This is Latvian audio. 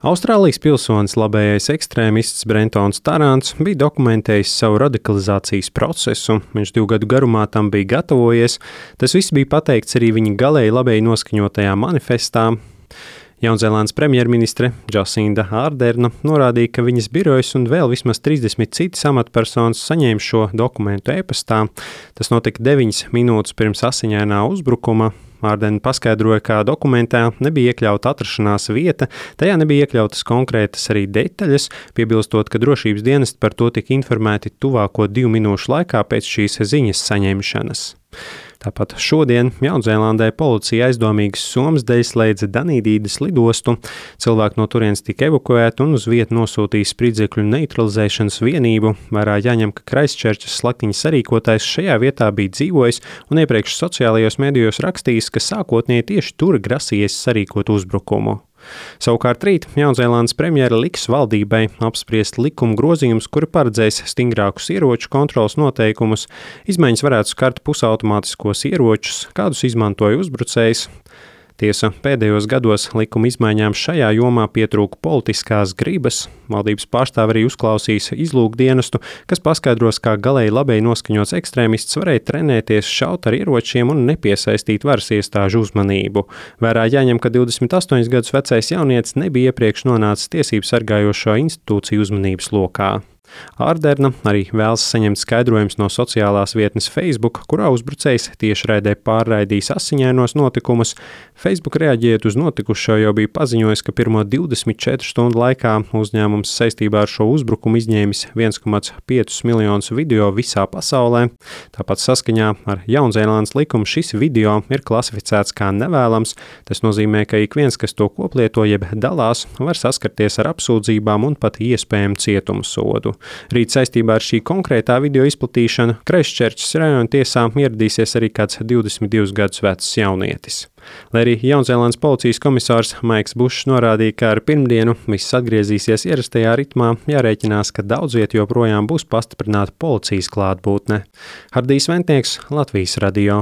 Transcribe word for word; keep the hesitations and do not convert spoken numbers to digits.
Austrālijas pilsonis labējais ekstrēmists Brentons Tarants bija dokumentējis savu radikalizācijas procesu, viņš divu gadu garumā tam bija gatavojies, tas viss bija pateikts arī viņa galēji labēji noskaņotajā manifestā. Jaunzēlandes premjerministre Jacinda Arderna norādīja, ka viņas birojas un vēl vismaz trīsdesmit citas amatpersonas saņēma šo dokumentu e-pastā. Tas notika deviņas minūtes pirms asiņainā uzbrukuma. Ardena paskaidroja, ka dokumentā nebija iekļauta atrašanās vieta, tajā nebija iekļautas konkrētas arī detaļas, piebilstot, ka drošības dienesti par to tika informēti tuvāko divu minūšu laikā pēc šīs ziņas saņemšanas. Tāpat šodien Jaunzēlandē policija aizdomīgas somas dēļ slēdza Danīdīdas lidostu. Cilvēki no turienes tika evakuēti un uz vietu nosūtīja spridzekļu neutralizēšanas vienību. Vērā jāņem, ka Kraistčerčas slaktiņa sarīkotājs šajā vietā bija dzīvojis un iepriekš sociālajos medijos rakstījis, ka sākotnēji tieši tur grasījies sarīkot uzbrukumu. Savukārt rīt Jaunzēlandes premjera liks valdībai apspriest likuma grozījumus, kuri paredzēs stingrākus ieroču kontrolas noteikumus. Izmaiņas varētu skart pusautomātiskos ieročus, kādus izmantoja uzbrucējs. Tiesa, pēdējos gados likuma izmaiņām šajā jomā pietrūka politiskās gribas. Valdības pārstāvi arī uzklausīs izlūkdienestu, kas paskaidros, kā galēji labēji noskaņots ekstrēmists varēja trenēties šaut ar ieročiem un nepiesaistīt varas iestāžu uzmanību. Vērā jāņem, ka divdesmit astoņus gadus vecais jaunietis nebija iepriekš nonācis tiesību sargājošo institūciju uzmanības lokā. Arderna arī vēlas saņemt skaidrojumus no sociālās vietnes Facebook, kurā uzbrucējs tiešraidē pārraidījis asiņainos notikumus. Facebook reaģējot uz notikušo jau bija paziņojis, ka pirmo divdesmit četru stundu laikā uzņēmums saistībā ar šo uzbrukumu izņēmis viens komats pieci miljonus video visā pasaulē. Tāpat saskaņā ar Jaunzēlandes likumu šis video ir klasificēts kā nevēlams. Tas nozīmē, ka ik viens, kas to koplieto jeb dalās, var saskarties ar apsūdzībām un pat iespējamu cietumu sodu. Rīt saistībā ar šī konkrētā video izplatīšanu Kraistčerčas rajona tiesā ieradīsies arī kāds divdesmit divus gadus vecs jaunietis. Lai arī Jaunzēlandes policijas komisārs Maiks Bušs norādīja, ka ar pirmdienu viss atgriezīsies ierastajā ritmā, jārēķinās, ka daudz viet joprojām būs pastiprināta policijas klātbūtne. Hardijs Ventnieks, Latvijas radio.